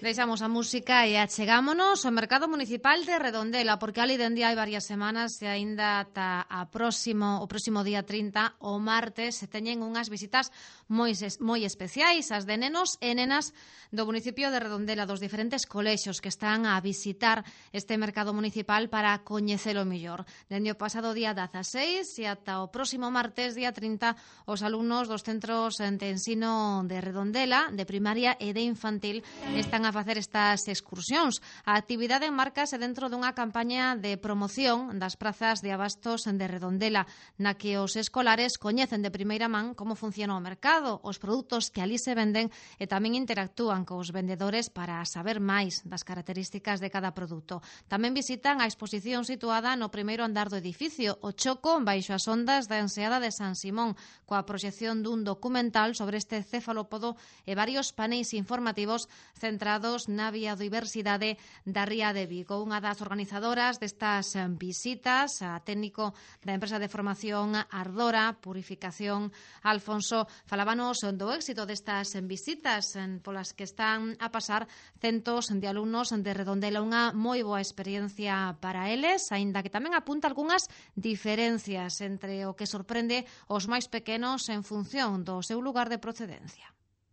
Deixamos a música e achegámonos ao mercado municipal de Redondela, porque ali dende hai varias semanas e aínda ata o próximo día 30, o martes, se teñen unhas visitas moi especiais, as de nenos e nenas do municipio de Redondela, dos diferentes colexios que están a visitar este mercado municipal para coñecelo mellor. Dende o pasado día 16 e ata o próximo martes, día 30, os alumnos dos centros de ensino de Redondela, de primaria e de infantil, están a facer estas excursións. A actividade enmarcase dentro dunha campaña de promoción das prazas de abastos de Redondela, na que os escolares coñecen de primeira man como funciona o mercado, os produtos que ali se venden e tamén interactúan cos vendedores para saber máis das características de cada produto. Tamén visitan a exposición situada no primeiro andar do edificio, o Choco baixo as ondas da enseada de San Simón, coa proxección dun documental sobre este cefalópodo e varios paneis informativos centrados na biodiversidade da ría de Vigo. Unha das organizadoras destas visitas, a técnico da empresa de formación Ardora Purificación, Alfonso, falábanos do éxito destas visitas polas que están a pasar centos de alumnos de Redondela, unha moi boa experiencia para eles, aínda que tamén apunta algunhas diferencias entre o que sorprende os máis pequenos en función do seu lugar de procedencia.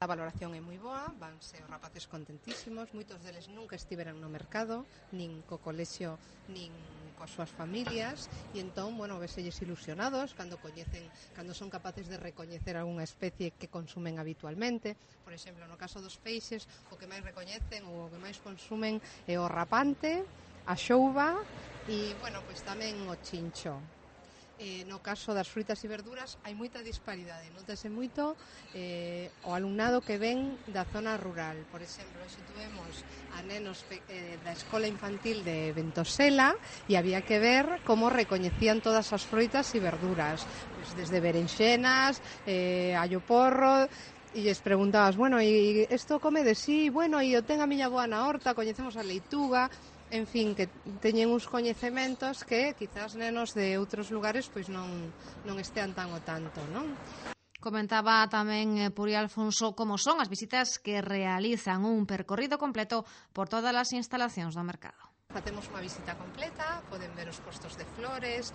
A valoración é moi boa, vanse os rapaces contentísimos, moitos deles nunca estiveran no mercado, nin co colexio, nin coas súas familias, e entón, bueno, veselles ilusionados cando son capaces de recoñecer algunha especie que consumen habitualmente. Por exemplo, no caso dos peixes, o que máis recoñecen ou o que máis consumen é o rapante, a xouba e, bueno, pois tamén o chincho. No caso das frutas e verduras hai moita disparidade, notase moito o alumnado que ven da zona rural. Por exemplo, se tuvemos a nenos da escola infantil de Ventosela e había que ver como recoñecían todas as frutas e verduras, pues desde berenxenas, allo porro, e lles preguntabas, bueno, e isto come de sí, bueno, e eu ten a miña boa na horta, coñecemos a leituga. En fin, que teñen uns coñecementos que quizás nenos de outros lugares pois non estean tan o tanto, non? Comentaba tamén Puri Alfonso como son as visitas que realizan un percorrido completo por todas as instalacións do mercado. Facemos unha visita completa, poden ver os postos de flores,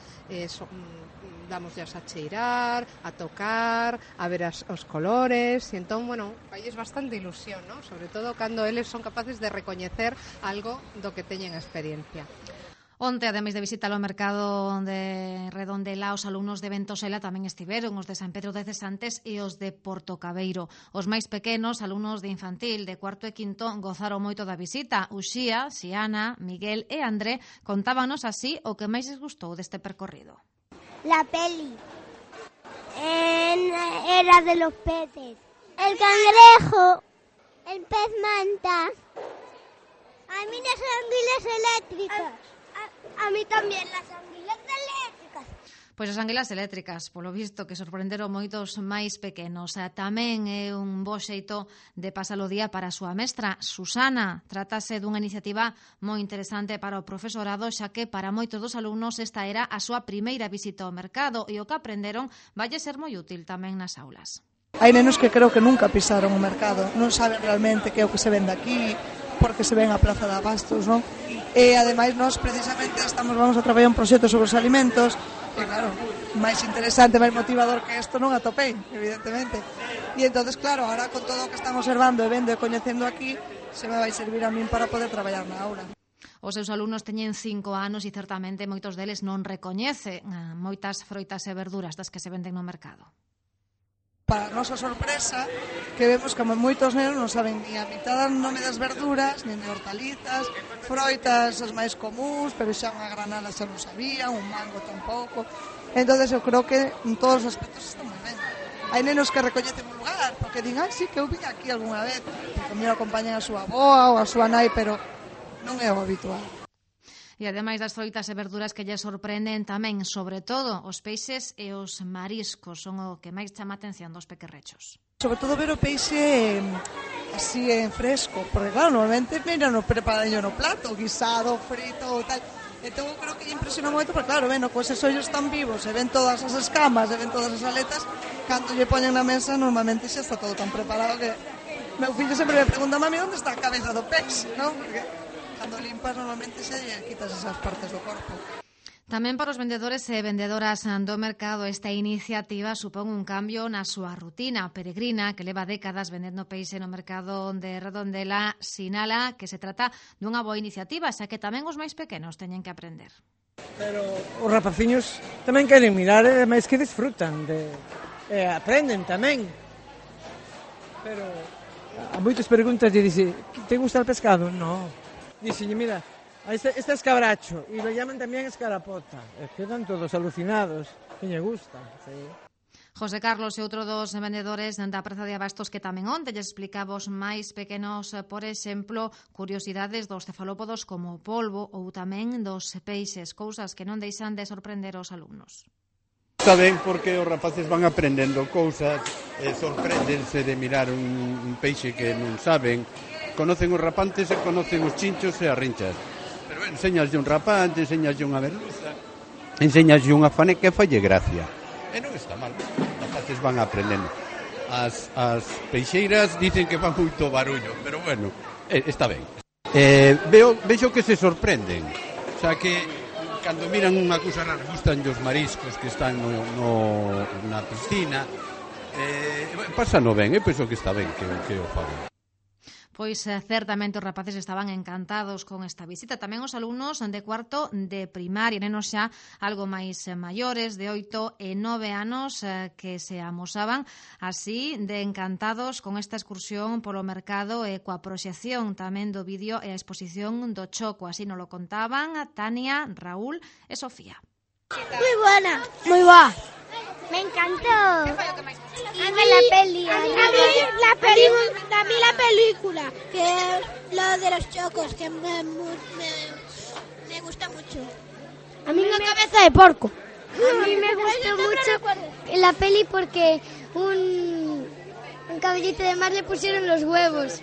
damoslas a cheirar, a tocar, a ver os colores, e entón, bueno, failles bastante ilusión, ¿no? Sobre todo cando eles son capaces de recoñecer algo do que teñen experiencia. Onte, ademais de visitar o mercado de Redondela, os alumnos de Ventosela tamén estiveron, os de San Pedro de Cesantes e os de Portocabeiro. Os máis pequenos, alumnos de infantil, de cuarto e quinto, gozaron moito da visita. Uxía, Xiana, Miguel e André contábanos así o que máis les gustou deste percorrido. La peli era de los peces. El cangrejo, el pez manta. A mí las anguilas eléctricas. A mí tamén, las anguilas eléctricas. Pois as anguilas eléctricas, polo visto, que sorprenderon moitos máis pequenos. Tamén é un bo xeito de pasar o día para a súa mestra, Susana. Trátase dunha iniciativa moi interesante para o profesorado, xa que para moitos dos alumnos esta era a súa primeira visita ao mercado e o que aprenderon valle ser moi útil tamén nas aulas. Hai nenos que creo que nunca pisaron o mercado, non saben realmente que é o que se vende aquí, porque se ven a Praza de Abastos, non? E ademais nós precisamente vamos a traballar un proxecto sobre os alimentos e claro, máis interesante, máis motivador que isto non atopei, evidentemente. E entonces claro, ahora con todo o que están observando e vendo e coñecendo aquí, se me vai servir a min para poder traballar na aula. Os seus alumnos teñen 5 anos e certamente moitos deles non recoñecen moitas froitas e verduras das que se venden no mercado. Para a nosa sorpresa, que vemos que moitos nenos non saben ni a mitad do nome das verduras, nin de hortalizas, froitas as máis comúns, pero xa unha granada xa non sabían, un mango tampouco. Entón, eu creo que en todos os aspectos está moi ben. Hai nenos que recoñecen un lugar, porque din, sí, que eu vim aquí algunha vez, porque me acompañan a súa avoa ou a súa nai, pero non é o habitual. E ademais das froitas e verduras que lle sorprenden tamén, sobre todo, os peixes e os mariscos son o que máis chama a atención dos pequerrechos. Sobre todo ver o peixe así en fresco, porque claro, normalmente miran o preparadillo no plato, guisado, frito ou tal. Entón creo que lle impresiona moito, porque claro, ven, coas esos ollos tan vivos, e ven todas as escamas, e ven todas as aletas, cando lle poñen na mesa, normalmente xa está todo tan preparado que Meu fillo sempre me pregunta, mami, onde está a cabeza do peixe, non? Porque cando limpas normalmente se quitas esas partes do corpo. Tamén para os vendedores e vendedoras do mercado esta iniciativa supón un cambio na súa rutina. Peregrina, que leva décadas vendendo peixe no mercado de Redondela, sinala que se trata dunha boa iniciativa, xa que tamén os máis pequenos teñen que aprender. Pero os rapaciños tamén queren mirar, máis que disfrutan, aprenden tamén. Pero a moitas preguntas lle dixe, te gusta o pescado? No. Dixenlle, mira, este es cabracho, e lo llaman tamén escarapota. Quedan todos alucinados, que lle gusta. Sí. José Carlos é outro dos vendedores da Praza de Abastos que tamén onte lle explicaba aos máis pequenos, por exemplo, curiosidades dos cefalópodos como o polvo ou tamén dos peixes, cousas que non deixan de sorprender os alumnos. Está ben porque os rapaces van aprendendo cousas, sorpréndense de mirar un peixe que non saben, conocen os rapantes e conocen os chinchos e as rinchas. Pero enseñaslle un rapante, enseñaslle unha merluza, enseñaslle unha faneca e falle gracia. E non está mal, os rapaces van aprendendo. As peixeiras dicen que fan moito barullo, pero bueno, está ben. Vexo que se sorprenden, xa que cando miran unha cousa rara, gustan os mariscos que están na piscina, pásano ben, penso que está ben que o fagan. Pois certamente os rapaces estaban encantados con esta visita. Tamén os alumnos de cuarto de primaria, nenos xa algo máis maiores, de 8 e 9 anos, que se amosaban así de encantados con esta excursión polo mercado e coa proxección tamén do vídeo e a exposición do Choco. Así nos lo contaban Tania, Raúl e Sofía. Muy buena. Muy buena. Me encantó. A mí la peli. A mí la película, que es lo de los chocos, que me gusta mucho. A mí la cabeza de porco. A mí me gustó mucho la peli porque un caballito de mar le pusieron los huevos.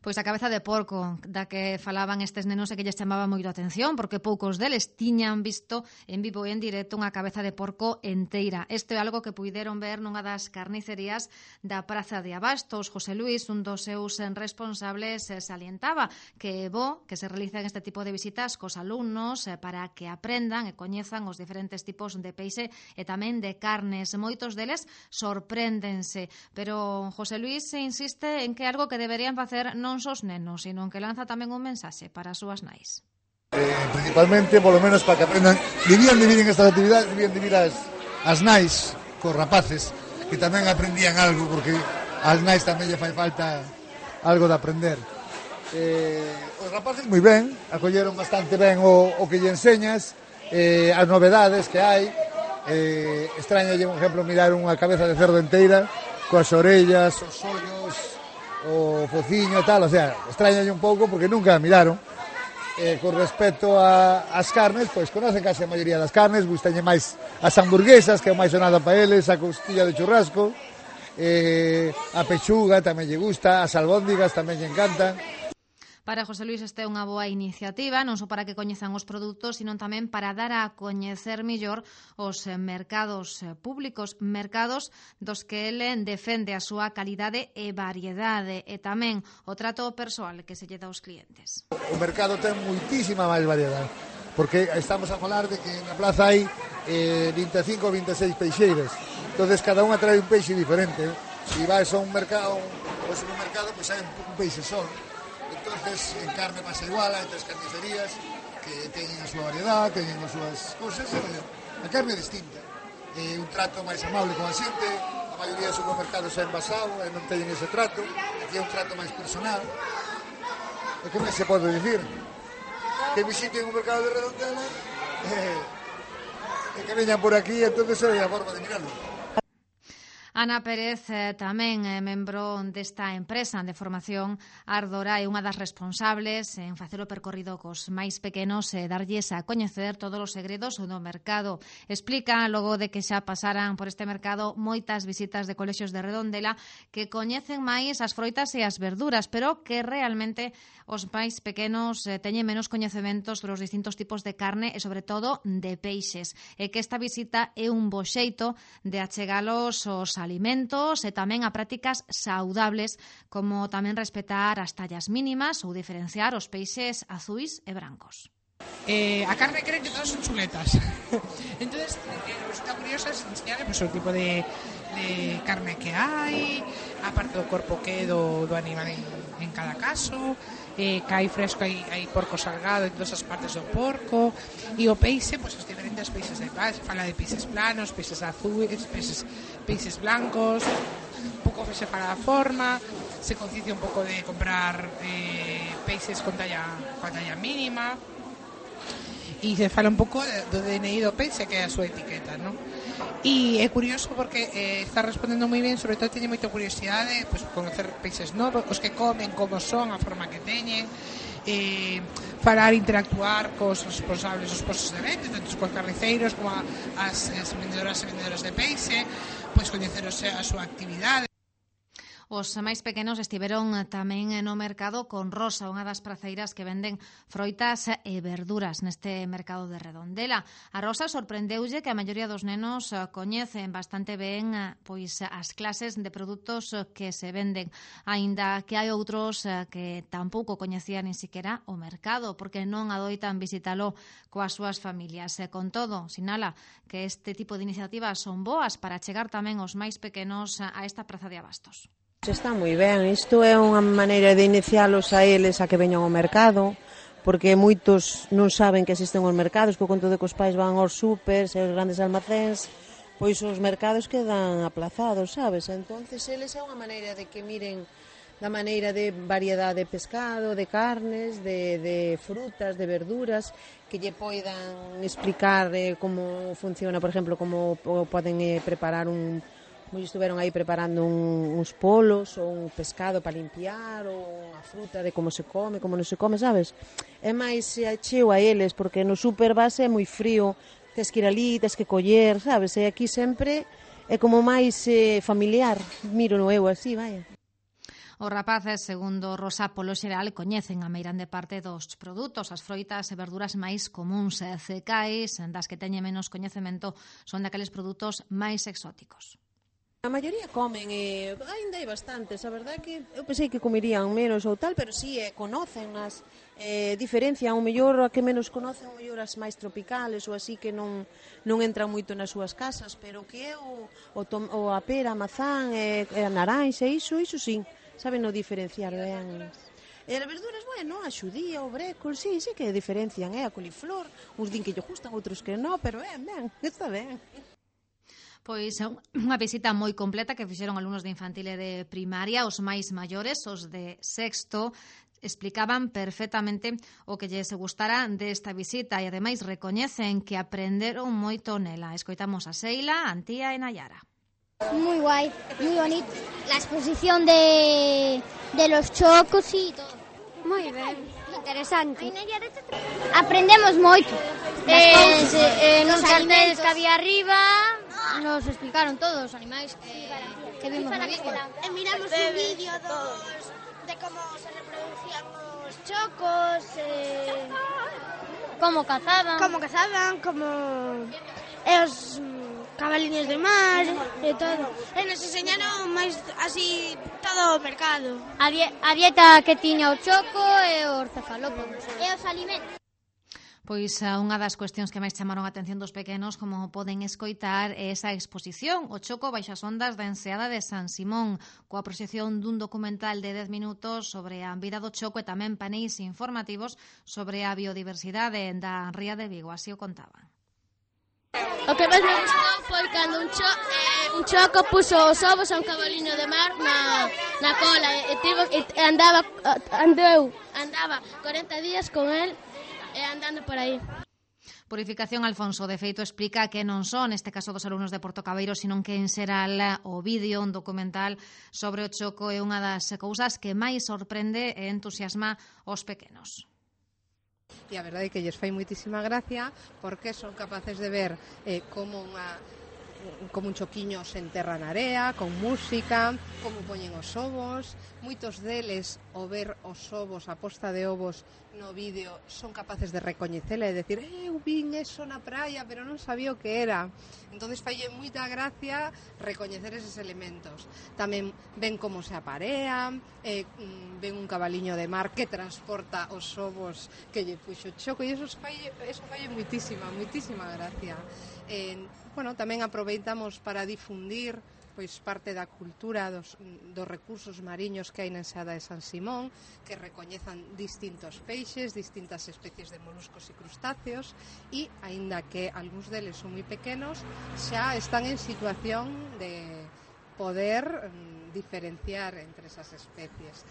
Pois a cabeza de porco da que falaban estes nenos e que lles chamaba moito a atención, porque poucos deles tiñan visto en vivo e en directo unha cabeza de porco enteira. Isto é algo que puideron ver nunha das carnicerías da Praza de Abastos. José Luis, un dos seus responsables, salientaba que é bo que se realicen este tipo de visitas cos alumnos para que aprendan e coñezan os diferentes tipos de peixe e tamén de carnes. Moitos deles sorpréndense, pero José Luis insiste en que é algo que deberían facer non só os nenos, sino que lanza tamén un mensaxe para as súas nais. Principalmente, polo menos, para que aprendan, debían de vir en estas actividades, debían de vir as nais, cos rapaces, que tamén aprendían algo, porque as nais tamén lle fai falta algo de aprender. Os rapaces moi ben, acolleron bastante ben o que lle enseñas, as novedades que hai. Extrañalle, por exemplo, mirar unha cabeza de cerdo enteira, coas orellas, os ollos, o fociño e tal, o sea, extrañalle un pouco porque nunca a miraron. Con respecto ás carnes, pois conocen case a maioría das carnes, gustañe máis as hamburguesas, que é o máis sonado para eles, a costilla de churrasco, a pechuga tamén lle gusta, as albóndigas tamén lle encantan. Para José Luis esta é unha boa iniciativa, non só para que coñezan os produtos, sino tamén para dar a coñecer mellor os mercados públicos, mercados dos que ele defende a súa calidade e variedade e tamén o trato persoal que se lle dá aos clientes. O mercado ten moitísima máis variedade, porque estamos a falar de que na plaza hai 25 ou 26 peixeiras, entonces cada unha trae un peixe diferente. Se vais a un mercado, ou supermercado, pois hai un peixe só. Entonces, en carne pasa igual, hai tres carnicerías que teñen a súa variedade, teñen as súas cousas, a carne é distinta. Un trato máis amable con a xente, a maioría dos supermercados é envasado e non teñen ese trato, aquí é un trato máis personal. E que máis se pode dicir? Que visiten o mercado de Redondela e que veñan por aquí, entonces é a forma de mirarlo. Ana Pérez tamén é membro desta empresa de formación Ardora, é unha das responsables en facer o percorrido cos máis pequenos e darlles a coñecer todos os segredos do mercado. Explica, logo de que xa pasaran por este mercado moitas visitas de colexios de Redondela, que coñecen máis as froitas e as verduras, pero que realmente os máis pequenos teñen menos coñecementos sobre os distintos tipos de carne e, sobre todo, de peixes. E que esta visita é un bo xeito de achegalos aos alimentos e tamén a prácticas saudables, como tamén respetar as tallas mínimas ou diferenciar os peixes azuis e brancos. A carne creen que todas son chuletas. Entonces, resulta curioso enseñarle pues, o tipo de carne que hai, aparte do corpo que é do animal en cada caso, que hai fresco, hai porco salgado en todas as partes do porco, e o peixe, pues, os diferentes peixes de paz, fala de peixes planos, peixes azuis, peixes blancos, un pouco se fala da forma, se conciencia un pouco de comprar peixes con talla mínima, e se fala un pouco do DNI do peixe, que é a súa etiqueta, non? E é curioso porque está respondendo moi ben, sobre todo teñe moita curiosidade, pues, conocer peixes novos, os que comen, como son, a forma que teñen, falar, interactuar cos responsables dos postos de venta, tanto cos carniceiros como as vendedoras e vendedores de peixe, pues, coñecer a súa actividade. Os máis pequenos estiveron tamén no mercado con Rosa, unha das praceiras que venden froitas e verduras neste mercado de Redondela. A Rosa sorprendeulle que a maioría dos nenos coñecen bastante ben pois as clases de produtos que se venden, aínda que hai outros que tampouco coñecían nin siquiera o mercado, porque non adoitan visitalo coas súas familias. Con todo, sinala que este tipo de iniciativas son boas para chegar tamén os máis pequenos a esta praza de abastos. Está moi ben, isto é unha maneira de inicialos a eles a que veñan ao mercado, porque moitos non saben que existen os mercados, por conto de que os pais van aos supers e aos grandes almacéns, pois os mercados quedan aplazados, sabes? Entonces, eles é unha maneira de que miren da maneira de variedade de pescado, de carnes, de frutas, de verduras, que lle poidan explicar como funciona, por exemplo, como poden preparar como estiveron aí preparando uns polos ou un pescado para limpiar ou unha fruta de como se come, como non se come, sabes? É máis cheo a eles, porque no super base é moi frío, tes que ir ali, tes que coller, sabes? E aquí sempre é como máis familiar, miro no eu así, vaya. Os rapaces, segundo Rosa, polo xeral, coñecen a meirande parte dos produtos. As froitas e verduras máis comúns e cecais, das que teñen menos coñecemento, son daqueles produtos máis exóticos. A maioría comen, ainda hai bastantes, a verdade que eu pensei que comerían menos ou tal, pero sí, conocen-nas, diferencian, o mellor a que menos conocen, o mellor as máis tropicales ou así que non entran moito nas súas casas, pero que é a pera, a mazán, a naranxa, iso sí, saben no diferenciar, vean. E as verduras, bueno, a xudía, o brécol, sí que diferencian, a coliflor, uns din que lle gustan, outros que non, pero ben, está ben. Pois é unha visita moi completa que fixeron alumnos de infantil e de primaria. Os máis maiores, os de sexto, explicaban perfectamente o que lles gustara desta visita e ademais recoñecen que aprenderon moito nela. Escoitamos a Seila, Antía e Nayara. Muy guay, muy bonito. La exposición de los chocos y todo. Muy bien, interesante. Aprendemos moito. Nos carteles que había arriba nos explicaron todos os animais que vimos na vídeo. Miramos un vídeo de como se reproducían os chocos, Como cazaban, como os cabaliños de mar e todo. E nos enseñaron máis así todo o mercado. A dieta que tiña o choco e os cefalópodos. E os alimentos. Pois unha das cuestións que máis chamaron a atención dos pequenos, como poden escoitar, é esa exposición, o choco baixo as ondas da enseada de San Simón, coa proxección dun documental de 10 minutos sobre a vida do choco e tamén paneis informativos sobre a biodiversidade da Ría de Vigo, así o contaban. O que máis me gustou foi cando un choco puso os ovos a un cabaliño de mar na cola e andaba 40 días con el andando por aí. Purificación Alfonso, de feito, explica que non son, neste caso dos alumnos de Porto Cabeiro, sino que en xeral o vídeo, un documental sobre o choco é unha das cousas que máis sorprende e entusiasma os pequenos. E a verdade é que lles fai moitísima gracia porque son capaces de ver como unha como un choquiño se enterra na area, con música, como poñen os ovos. Moitos deles, ao ver os ovos, a posta de ovos no vídeo, son capaces de recoñecela e decir, eu vin eso na praia, pero non sabía o que era. Entonces falle moita gracia recoñecer eses elementos. Tamén ven como se aparean, ven un cabaliño de mar que transporta os ovos que lle puxo Choco, e eso falle moitísima gracia. Bueno, tamén aproveitamos para difundir pois parte da cultura dos recursos mariños que hai na enseada de San Simón, que recoñezan distintos peixes, distintas especies de moluscos e crustáceos, e, aínda que algúns deles son moi pequenos, xa están en situación de poder diferenciar entre esas especies.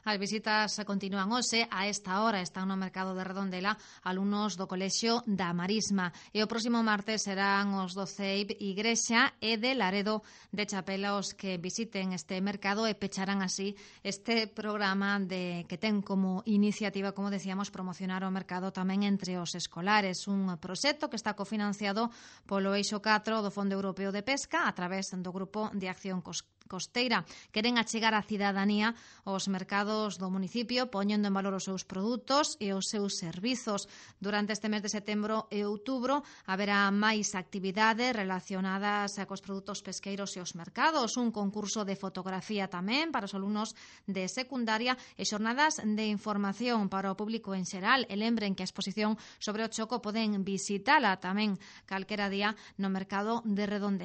As visitas continúan hoxe. A esta hora están no mercado de Redondela alumnos do Colexio da Marisma. E o próximo martes serán os do CEIP Igrexa e de Laredo de Chapela os que visiten este mercado e pecharán así este programa que ten como iniciativa, como decíamos, promocionar o mercado tamén entre os escolares. Un proxecto que está cofinanciado polo Eixo 4 do Fondo Europeo de Pesca a través do Grupo de Acción Costeira. Queren achegar a cidadanía aos mercados do municipio, poñendo en valor os seus produtos e os seus servizos. Durante este mes de setembro e outubro haberá máis actividades relacionadas cos produtos pesqueiros e os mercados, un concurso de fotografía tamén para os alumnos de secundaria e xornadas de información para o público en xeral. E lembren que a exposición sobre o choco poden visitala tamén calquera día no mercado de Redondela.